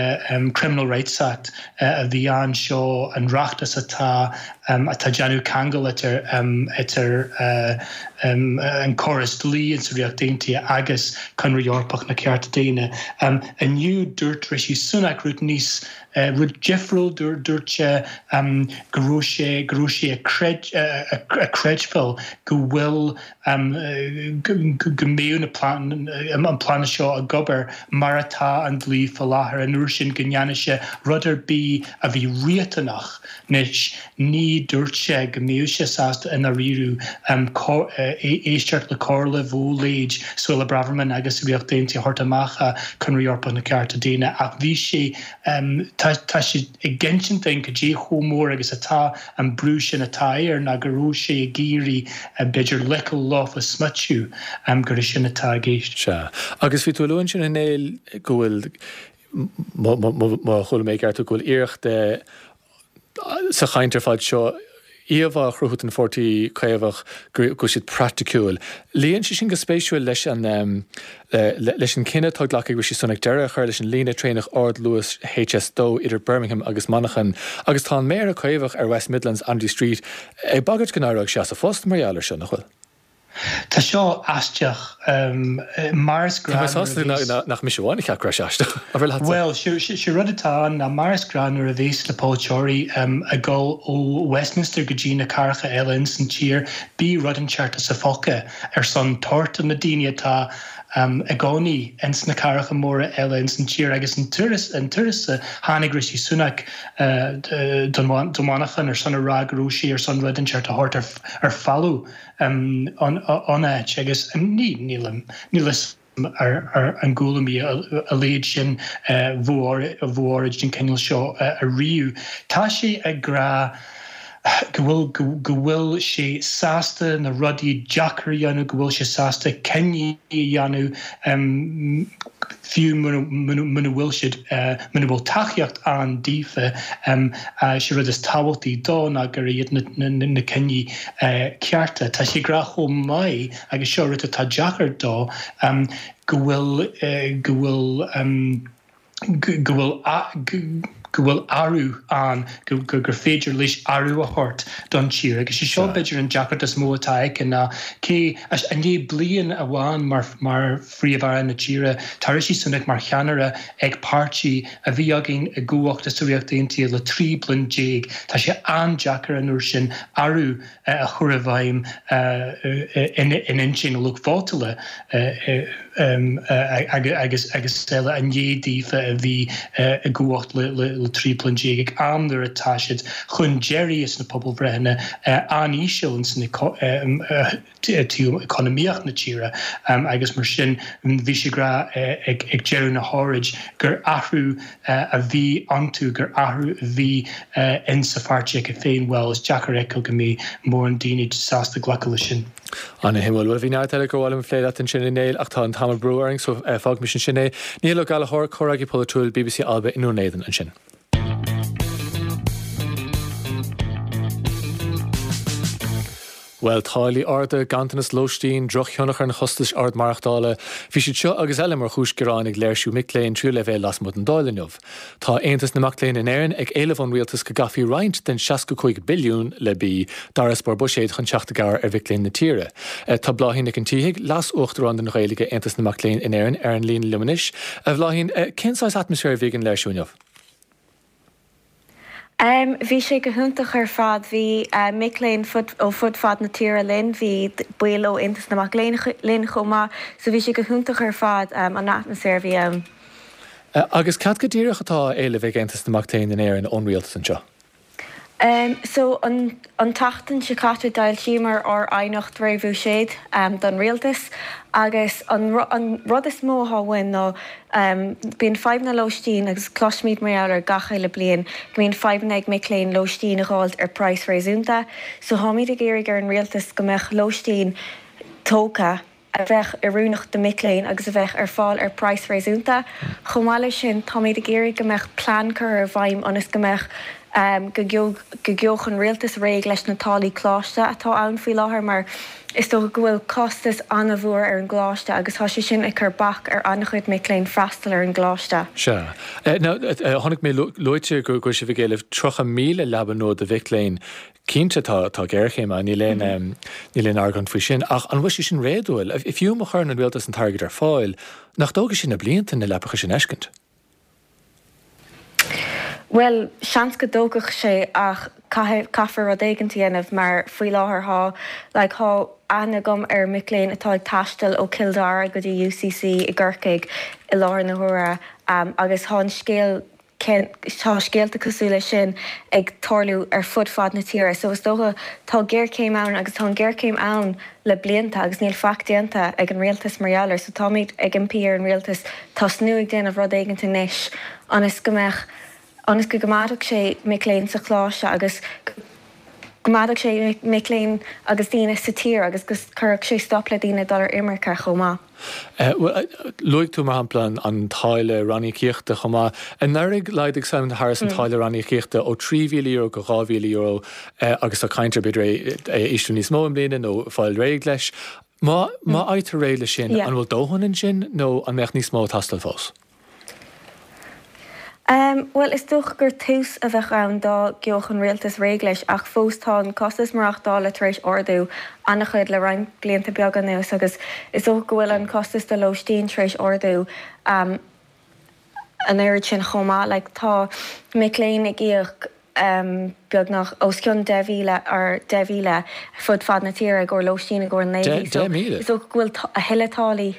Criminal Rights Act a bhí ann seo an reachtas atá atá déanamh ceangal idir idir an córas dlí in sa Ríocht Aontaithe agus Conradh Eorpach na Cearta Daonna. Inniu dúirt Rishi Sunak rud níos rud difriúil, dúirt sé go raibh sé go raibh sé ag creidbheáil go bhfuil go mbeadh na an plean seo ag obair mar atá an dlí faoi láthair, an uair sin go ndéanfadh sé rud ar bith a bhí riachtanach. Anois, ní dúirt sé go mbeadh sé sásta i ndáiríre éisteacht le comhairle mhó-léid Suella Braverman agus Ríocht Aontaithe a thabhairt amach as Conradh Eorpach na Cearta Daonna ach bhí sé, tá sé ag insint dúinn cad é chomh mór agus atá an brú sin atá air ná go raibh sé ag iarraidh b'fhéidir glacadh leofa smaoitiú gur é sin atá i gceist. Sea. Agus bhí tú ag lua ansin a Néill go bhfuil má chuala mé i gceart tú, go bhfuil iarracht sa chaint ar fad seo íomhá a chruthú den Pháirtí Caomhach go bhfuil siad praiticiúil. Luíonn sé sin go spéisiúil leis an leis an cinneadh atá glactha ag Rishi Sunak deireadh a chur leis an líne traenach ardluais HS2 idir Birmingham agus Manchain agus tá an Méara Caomhach ar West Midlands, Andy Street, ag bagairt go n-éireoidh sé as a phost mar gheall air seo, nach bhfuil? Tá seo aisteach. Mar is Tá mé gnách sásta nuair a bhíos. nach mise amháin a cheap go raibh sé aisteach. Abair leatsa. Bhuel, sé rud atá ann ná mar is gnách nuair a bhéas na polaiteoirí ag dul ó Westminster go dtí na cathracha eile ins an tír, bíonn rud inteacht as a phóca ar son tabhairt do na daoine atá i gcónaí ins na cathracha móra eile ins an tír agus an turas a tháinig Rishi Sunak don Mhanchain ar son a rá go raibh sé ar son rud inteacht a thabhairt ar folamh an áit agus ní nílim níl fhios ar an gcuala mé a leithéid sin mhóráid den chineál seo ariamh. Tá sé ag rá go bhfuil go bhfuil sé sásta na rudaí deacair a dhéanamh, go bhfuil sé sásta cinní a dhéanamh fiú muna bhfuil siad muna bhfuil tacaíocht ann daofa. Sé rud is tábhachtaí dó ná gur iad na cinní cearta. Tá sé ag rá chomh maith, agus seo rud atá deacair dó, go bhfuil go bhfuil go bhfuil go bhfuil athrú ann, gur féidir leis athrú a thabhairt don tír. Agus sé seo b'fhéidir an deacracht is mó atá aici ná cé, i ndiaidh bliain amháin mar mar Phríomh-Aire na tíre, tá Rishi Sunak mar cheannaire ag páirtí a bhí againn i gcumhacht sa Ríocht Aontaithe le 13 bliain. Tá sé an-deacair an uair sin athrú a chur i bhfeidhm in intinn a lucht vótála agus eile i ndiaidh daofa a bhí i gcumhacht le 13 bliain ag am nuair atá siad chun deiridh sna pobalbhreitheanna an-íseal ins na taobh economaíocht na tíre agus mar sin bhí sé ag rá ag deireadh na hóráid gur athrú a bhí iontu, gur athrú a bhí in sa pháirtí acu féin, bhuel is deacair a fheiceáil go mbeidh mórán daoine sásta glacadh leis sin. Ana-shuimiúil. Bhuel, bhí neart eile gur mhaith liom a phlé leat ansin a Néill ach tá an t-am ag brú orainn so fágaimis ansin é. Niall Ó Gallchóir, Comhfhreagraí Polaitiúil bbc Alba i nDún Éideann ansin. Bhuel, táillí arda, ganntanas lóistín, drochthionchar an chostais ard maireachtála, bhí siad seo agus eile mar chúis gearáin ag léirsiú mic léinn tríú leibhéal lasmuigh den Dáil inniu. Tá Aontas na Mac Léinn in Éirinn ag éileamh ón rialtas go gcaithfí roinnt den 65 billiún, le B, d'fharasbarr buiséid chun teacht i gcabhair ar mhic léinn na tíre. Tá Bláithín Nic an tSíthigh, Leas-Uachtarán don Ghaeilge Aontas na Mac Léinn in Éirinn, ar an líne liom anois. A Bhláithín, cén saghas atmaisféir a bhí ag an léirsiú inniu? Bhí sé go hiontach ar fad. Bhí mic léinn ó fud fad na tíre linn, bhí baill ó Aontas na Mac Léinn linn chomh maith, so bhí sé go hiontach ar fad an atmaisféar a bhí ann. Agus cad go díreach atá á éileamh ag Aontas na Mac Léinn in Éirinn ón rialtas anseo? So an an tseachtain seo caite d'fhoilsíomar ár aighneacht réamhbhuiséid don rialtas agus an an rud is mó atá uainn ná bíonn fadhbanna lóistín agus cloisimid mar gheall air gach uile bliain go mbíonn fadhbanna ag mic léinn lóistín a dh'fháilt ar praghas réasúnta so táimid ag iarraidh ar an rialtas go mbeadh lóistín tógtha a bheadh oiriúnach do mic léinn agus a bheadh ar fáil ar praghas réasúnta. Chomh maith leis sin, táimid ag iarraidh go mbeadh plean curtha i bhfeidhm ionas go mbeadh, go gheobhadh an rialtas réidh leis na táillí coláiste atá ann faoi láthair mar is dócha go bhfuil costas an-mhór ar an gcoláiste agus tá sé sin ag cur bac ar an-chuid mic léinn freastal ar an gcoláiste. Sea. Now, chonaic mé luaite go bhfuil sibh ag éileamh 30,000 leaba nua do mhic léinn. Cinnte, tá géarchéim ann, níl aon, níl aon argóint faoi sin, ach an bhfuil sé sin réadúil? Fiú má chuireann an rialtas an t-airgead ar fáil, nach dtógfaidh sé na blianta na leapacha sin a fheiscint? Bhuel, seans go dtógfadh sé ach caithfidh, caithfear rud éigint a dhéanamh mar faoi láthair thá, like, thá aithne agam ar mic léinn atá ag taisteal ó Cill Dara go dtí UCC i gCorcaigh i láthair na huaire agus thá an scéal Tá scéalta cosúil leis sin ag tarlú ar fud fad na tíre so is dócha tá géarchéim ann agus tá an ghéarchéim ann le blianta agus níl faic déanta ag an rialtas mar gheall air so táimid ag impí ar an rialtas tosnú ag déanamh rud éigint anois ionas go mbeadh ionas go gcoimeádfadh sé mic léinn sa choláiste agus go gcoimeádfadh sé mic léinn agus daoine sa tír agus go gcuirfeadh sé stop le daoine dul ar imirce chomh maith. Luaigh tú, mar shampla, an táille ranníocaíochta chomh maith. Anuraidh, laghdaigh Simon Harris an táille ranníocaíochta ó €3,000 go €2,000 agus tá caint ar b'fhéidir é a ísliú níos mó i mbliana nó fáil réidh leis. Má fhaightear réidh leis sin, an bhfuil dóthain ansin nó an mbeadh níos mó ag teastáil fós? Bhuel, is dócha gur tús a bheadh ann dá gheobhadh an rialtas réidh leis, ach fós tá an costas maireachtála tar éis ardú an-chuid le roinnt blianta beaga anuas agus is dócha go bhfuil an costas do lóistín tar éis ardú an oiread sin chomh maith. Like, tá mic léinn ag íoc beagnach os cionn 10,000 or 10,000 fud fad na tíre i gcomhair lóistín i gcomhair an naoi mhí so is dócha go bhfuil a thuilleadh táillí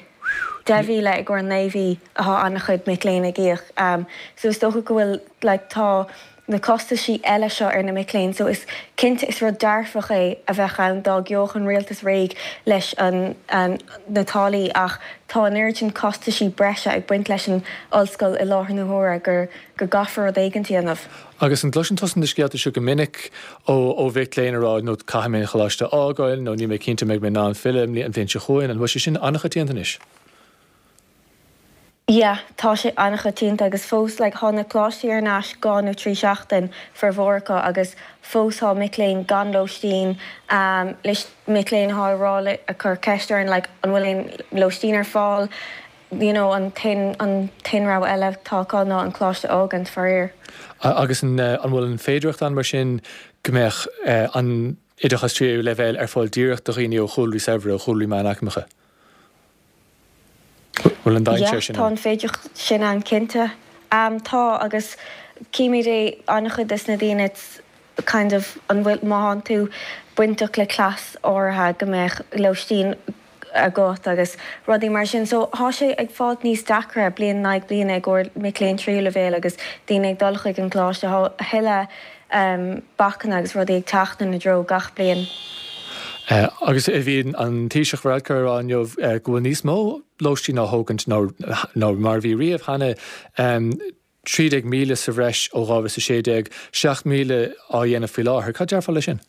10,000 i gcomhair naoi mhí atá an-chuid mic léinn ag íoc so is dócha go bhfuil like tá na costaisí eile seo ar na mic léinn so is cinnte is rud dearfach é a bheadh ann dá gheobhadh an rialtas réidh leis an na táillí ach tá an oiread sin costaisí breise ag baint leis an ollscoil i láthair na huaire gur go gcaithfear rud éigint a dhéanamh. Agus an gcloiseann tusa na scéalta seo go minic ó ó mhic léinn ag rá nó caithfidh mé an choláiste a fhágáil nó níl mé cinnte an mbeidh mé in ann filleadh an bhliain seo chugainn, an bhfuil sé sin an-choitianta anois? Yeah, tá sé an-choitianta agus fós like thá na coláistí ar n-ais dhá nó trí seachtain formhór acu agus fós thá mic léinn gan lóistín, leis mic léinn athá ag rá le ag cur ceist orainn like an bhfuil aon lóistín ar fáil, you know an t-aon an t-aon rogha eile atá acu ná an coláiste a fhágaint, faraor. Agus an an bhfuil an féidearthacht ann mar sin go mbeadh an oideachas tríú leibhéal ar fáil díreach do dhaoine ó chúlraí saibhre, ó chúlraí meánaicmeacha? Bhfuil an dainséar sin ann? Yeah, tá an féidearthacht sin ann cinnte. Tá agus címid é an-chuid des na daoine it's kind of an bhfuil má thánn tú bainteach le class áirithe go mbeadh lóistín agat agus rudaí mar sin. So thá sé ag fáilt níos deacra bliain in aghaidh bliana i gcomhair mic léinn tríú leibhéal agus daoine ag dul chuig an gcoláiste. Thá a thuilleadh bacanna agus rudaí ag teacht ina dtreo gach bliain. Agus bhí an Taoiseach Varadkar ag rá inniu go bhfuil níos mó lóistín á thógaint ná mar a bhí riamh cheana. 13,000 sa bhreis ó 2016, 7,000 á dhéanamh faoi láthair. Cad déarfá leis sin?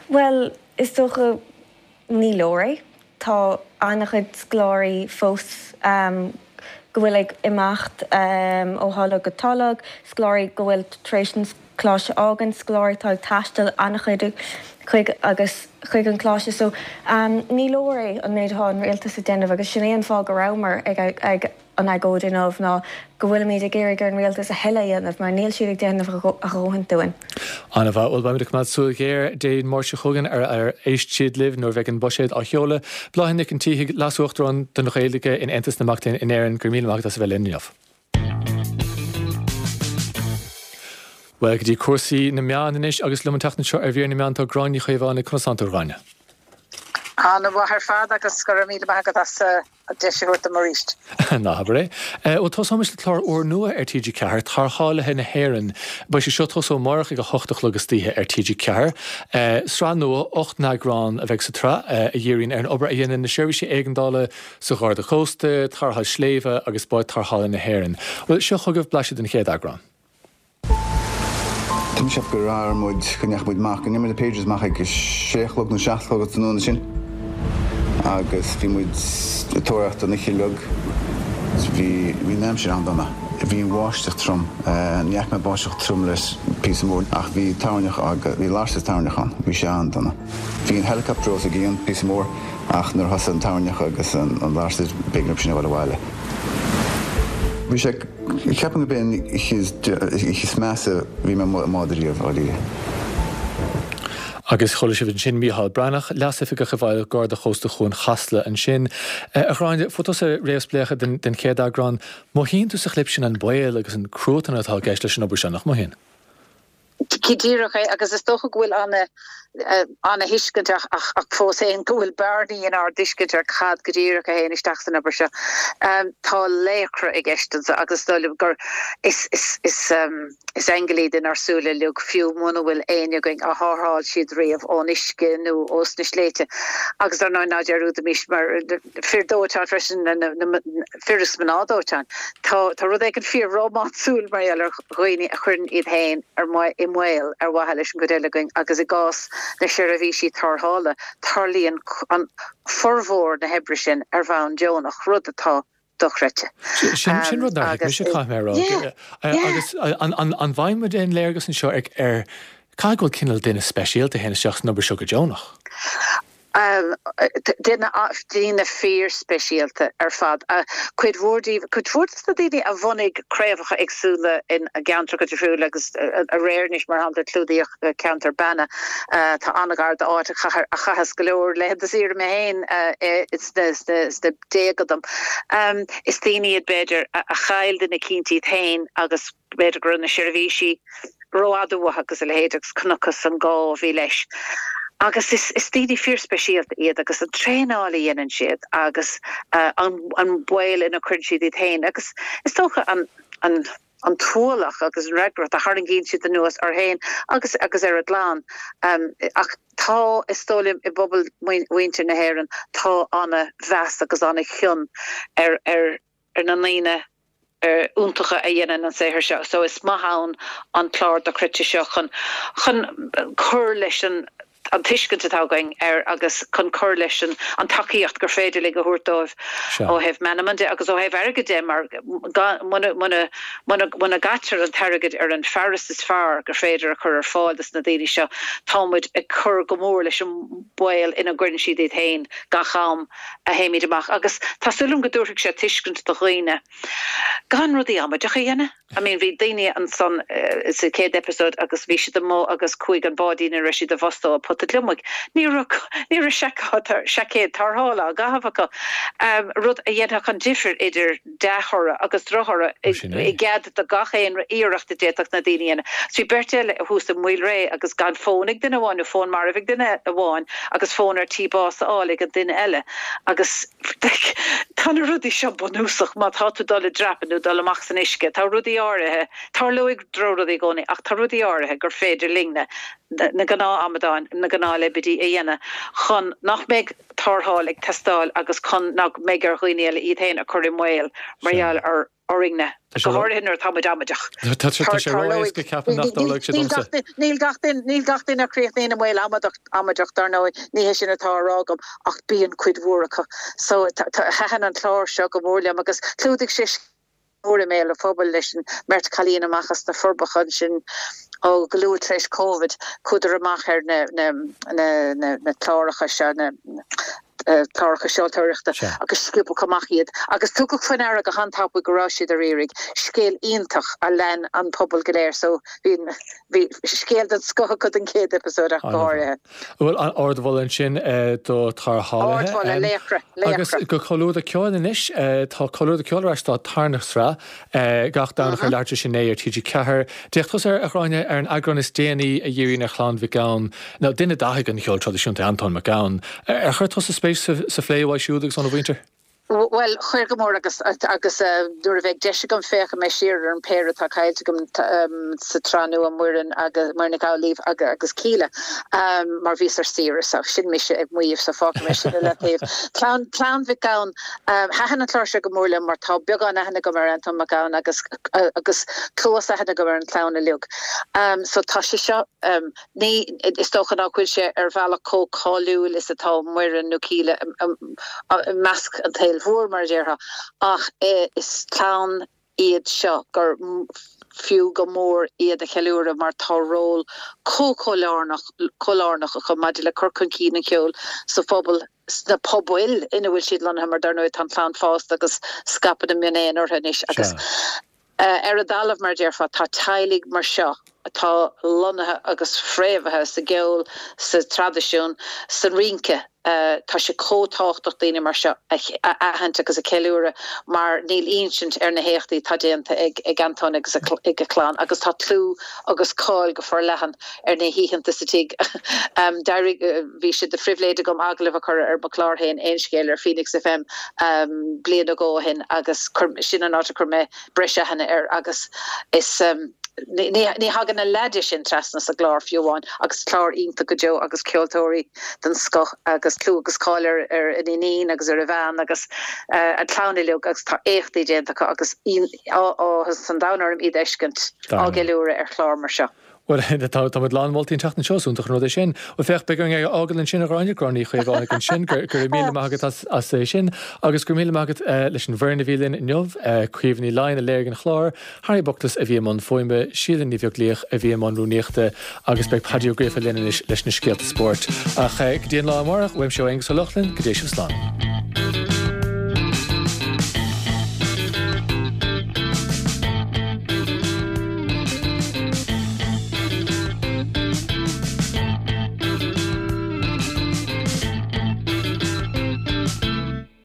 Bhuel, is dócha ní leor é. Tá an-chuid scoláirí fós go bhfuil ag imeacht ó tholg go tolg, scoláirí go bhfuil tar éis an coláiste a fhágaint, scoláirí atá ag taisteal an-chuid chuig agus chuig an choláiste. So ní leor é an méid atá an rialtas ag déanamh agus sin é an fáth go rabhamar ag ag an agóid inniu ná go bhfuilimid ag iarraidh ar an rialtas a thuilleadh a dhéanamh mar níl siad ag déanamh a dhóthain dúinn. An-mhaith. Bhuel, beimid ag coimeád súil ghéar Dé Máirt seo chugainn ar ar éist siad libh nuair a bheidh an buiséad á sheoladh. Bláithín Nic an tSíthigh, Leas-Uachtarán don Ghaeilge in Aontas na Mac Léinn in Éirinn, go raibh míle maith agat as a bheith linn inniu. Bhuel, go dtí cúrsaí na meán anois agus liom an tseachtain seo ar mhír na meán tá Gráinne Ní Chaomhánaigh. Conas tánn tú, a Ghráinne? An-mhaith ar fad agus go raibh míle maith agat as an deis a thabhairt dom arís. Ná habair é. Bhuel, tosóimis le clár úrnua ar TG4, Tarrthálaithe na hÉireann. Beidh sé seo ag tosú amárach ag 8 a chlog istoíche ar TG4. Sraith nua, 8 n-eagrán a bheidh sa tsraith, a dhíríonn ar an obair a dhéanann na seirbhísí éigeandála sa Gharda Cósta, Tarrtháil Sléibhe agus Báid Tarrthála na hÉireann. Bhuel, seo chugaibh blaiseadh den chéad eagrán. Tá mise ag ceapadh go raibh muid, go ndeachaigh muid amach, go ndeachaigh muid na pagers amach ag a sé a chlog nó seacht a chlog an tráthnóna sin agus bhí muid ag tóraíocht an oíche uilig. Bhí, bhí an aimsir an-dona. Bhí an bháisteach trom. Ní fhaca mé báisteach trom le píosa mór ach bhí toirneach agus, bhí lasair toirneach ann. Bhí sé an-dona. Bhí an helicopter os ár gcionn píosa mór ach nuair a thosaigh an toirneach agus an lasair b'éigean dóibh sin a dhul abhaile. Bhí sé. Ceapaim gurb é an oíche is measa a bhí mé amuigh i mbád ariamh, dháiríre. Agus chuala sibh ansin Mícheál Breathnach, Leas-Oifigeach i bhFeighil Garda Chósta Chuan Chasla ansin. A Ghráinne, fuair tusa réamhspléachadh den chéad eagrán. Mothaíonn tú sa chlip sin an baol agus an cruatan atá i gceist leis an obair seo, nach mothaíonn? Go díreach é, agus is dócha go bhfuil ana-thuiscint ach fós féin go bhfuil bearnaí inár dtuiscint ar cad go díreach a théann isteach san obair seo. Tá laochra i gceist anseo agus is dóigh liom gur is aingil iad inár súile uilig, fiú muna bhfuil éinne againn a tharrtháil siad riamh ón uisce nó ós na sléibhte. Agus dar ndóigh ná dearúdaimis mar fir dóiteáin freisin, fir is mná dóiteáin. Tá rud éigin fíor-rómánsúil mar gheall ar dhaoine a chuireann iad féin i mbaol ar mhaithe leis an gcuid eile againn agus i gcás na seirbhísí tarrthála, tarlaíonn an formhór na hoibre sin ar bhonn deonach, rud atá dochreidte. Sin rud nár thuig mise, caithfidh mé a rá. Agus an bhfaigheann muid aon léargas anseo ar caithfidh go bhfuil cineál duine speisialta a théann isteach san obair seo go deonach? Duine, daoine fíorspeisialta ar fad. Cuid mhór díobh, cuid mhór de na daoine a bhunaigh craobhacha éagsúla i gceantracha difriúla agus aréir anois, mar shampla, clúdaíodh ceantar Banna, atá an-ghar d'áit a chaitheas go leor laethanta saoire mé féin sna déaga dom. Is daoine iad, b'fhéidir, a chaill duine eicínt iad féin agus b'fhéidir go raibh na seirbhísí rófhada uathu agus a leithéid agus chonacthas an gá a bhí leis. Agus is is daoine fíorspeisialta iad agus an traenáil a dhéanann siad agus an an baol ina gcuireann siad iad féin agus is dócha an an an t-ualach agus an fhreagracht a tharraingíonn siad anuas orthu féin agus agus ar a gclann. Ach tá, is dóigh liom, i bpobal mhuintir na hÉireann, tá ana-mheas agus ana-chion ar ar ar na ndaoine iontacha a dhéanann an saothar seo so is maith ann an clár dochreidte seo chun chun cur leis an an tuiscint atá againn air agus chun cur leis an an tacaíocht gur féidir linn a thabhairt dóibh ó thaobh meanman de agus ó thaobh airgid de mar muna muna muna muna gcaitear an t-airgead ar an fearas is fearr gur féidir a chur ar fáil dos na daoine seo tá muid ag cur go mór leis an baol ina gcuireann siad iad féin gach am a théimid amach agus tá súil agam go dtabharfaidh sé tuiscint do dhaoine gan rudaí amaideacha a dhéanamh. I mean bhí daoine ansan sa chéad episode agus bhí siad amuigh agus chuaigh an báidín a raibh siad i bhfostú i pota gliomaigh. Ní raibh ní raibh seaicéad tarrthála á gcaitheamh acu, rud a dhéanfadh an difir idir dea-thoradh agus drochthoradh i gcead do gach aon iarracht a d'fhéadfadh na daoine a dhéanamh. Bhí beirt eile thuas i Maoilré agus gan fón ag duine amháin nó fón marbh ag duine amháin agus fón ar tí bás a fháil ag an duine eile agus tá na rudaí seo bunúsach má tá tú dul i dreapadh nó dul amach san uisce. Tá rudaí áirithe, tarlóidh drochrudaí i gcónaí ach tá rudaí áirithe gur féidir linne, na gnáth-amadáin, na gnáthleibidí a dhéanamh chun nach mbeidh tarrtháil ag teastáil agus chun nach mbeidh ar dhaoine eile iad féin a chur i mbaol mar gheall ar. Orainne, go háirithe nuair atá muid amaideach. Tá sé ró-éasca ceapadh nach dtarlóidh sé domsa. Níl gach duine, níl gach duine a chríochnaíonn i mbaol amaideach, dar ndóigh, ní hé sin atá á rá agam, ach bíonn cuid mhór acu. So, thaitin an clár seo go mór liom agus chlúdaigh sé mór i mbéal an phobail leis an mbeirt chailín amach as na Forbacha ansin ó go luath tar éis Covid, chuadar amach ar na, na, na, na, na cláracha seo, na, cláracha seoltóireachta agus sciobadh amach iad agus tugadh faoi ndeara go han-tapaidh go raibh siad ar iarraidh. Scéal iontach a lean an pobal go léir so bhí bhí scéal den scoth acu don chéad eipeasóid ach go háirithe. Bhuel, ardmholadh ansin do Tarrthálaithe. Ardmholadh, laochra, laochra. Agus go Comhluadar Ceoil anois. Tá Comhluadar Ceoil ar ais dá tarna sraith. Gach Domhnach ar leathuair tar éis a 9 ar TG4. D'fhéach tusa, a Ghráinne, ar an eagrán is déanaí a dhíríonn ar chlann Mhic Gabhann, nó duine d'fhathaigh an cheoil traidisiúnta, Antóin Mac Gabhann. Ar chuir tusa spéis sa phlé uaidh siúd agus óna mhuintir? Bhuel, chuir go mór agus agus nuair a bheidh deis agam féachfaidh mé siar ar an péire atá caillte agam sa tsraith nua, Muireann agus Muireann Nic Amhlaoibh agus Kíla, mar bhíos ar saoire so sin mise ag maíomh so fágfaidh mé sin i leataobh. Clann Clann Mhic Gabhann Thaitin an clár seo go mór liom mar tá beagán aithne agam ar Antóin Mac Gabhann agus agus cluas aithne agam ar an chlann uilig. So tá sé seo, ní, is dócha nach bhfuil sé ar bhealach chomh cáiliúil is atá Muireann nó Kíla i measc an tsaoil mhór mar a déarfá ach is clann iad seo gur fiú go mór iad a cheiliúradh mar tá ról chomh chomh lárnach chomh lárnach acu maidir le cur chun cinn an cheoil sa phobal, sna pobail ina bhfuil siad lonnaithe mar dar ndóigh tá an chlann fásta agus scaipthe ina mionéin orthu anois agus ar an dtalamh mar a déarfá tá teaghlaigh mar seo atá lonnaithe agus fréamhaithe sa gceol, sa traidisiún, sa rince. Tá sé chomh tábhachtach daoine mar seo a aithint agus a cheiliúradh mar níl insint ar na héachtaí atá déanta ag Antóin agus ag a chlann agus tá clú agus cáil go forleathan ar na hoícheanta sa tigh. D'éirigh, bhí sé de phribhléid agam agallamh a chur ar mo chlár féin, Aon Scéal, ar Phoenix FM bliain nó dhó ó shin agus sin an áit a chuir mé breis aithne air agus is ní thagann a leath de sin trasna sa gclár fiú amháin agus clár iontach go deo agus ceoltóirí den scoth agus clú agus cáil ar ar a iníon agus ar a bhean agus an chlann uilig agus tá éachtaí déanta acu agus áthas an domhain orm iad a fheiscint á gceiliúradh ar chlár mar seo. Bhuel, tá muid lán moltaí an tseachtain seo, is iontach an rud é sin. Bhuel, féach, beidh orainn é a fhágáil ansin, a Ghráinne, Gráinne Ní Chaomhánaigh ansin, go raibh míle maith agat as é sin, agus go raibh míle maith agat leis an bhfoireann a bhí linn inniu, Caoimhe Ní Laighin a léirigh an clár, Harry Buckless a bhí i mbun fuaime, Síle Ní Bheaglaoich a bhí i mbun rúnaíochta, agus beidh Paddy Ó Gríofa linn anois leis na scéalta spóirt. Ach go dtí an lá amárach, uaimse ó Aonghus Ó Lochlainn, go dté sibh slán.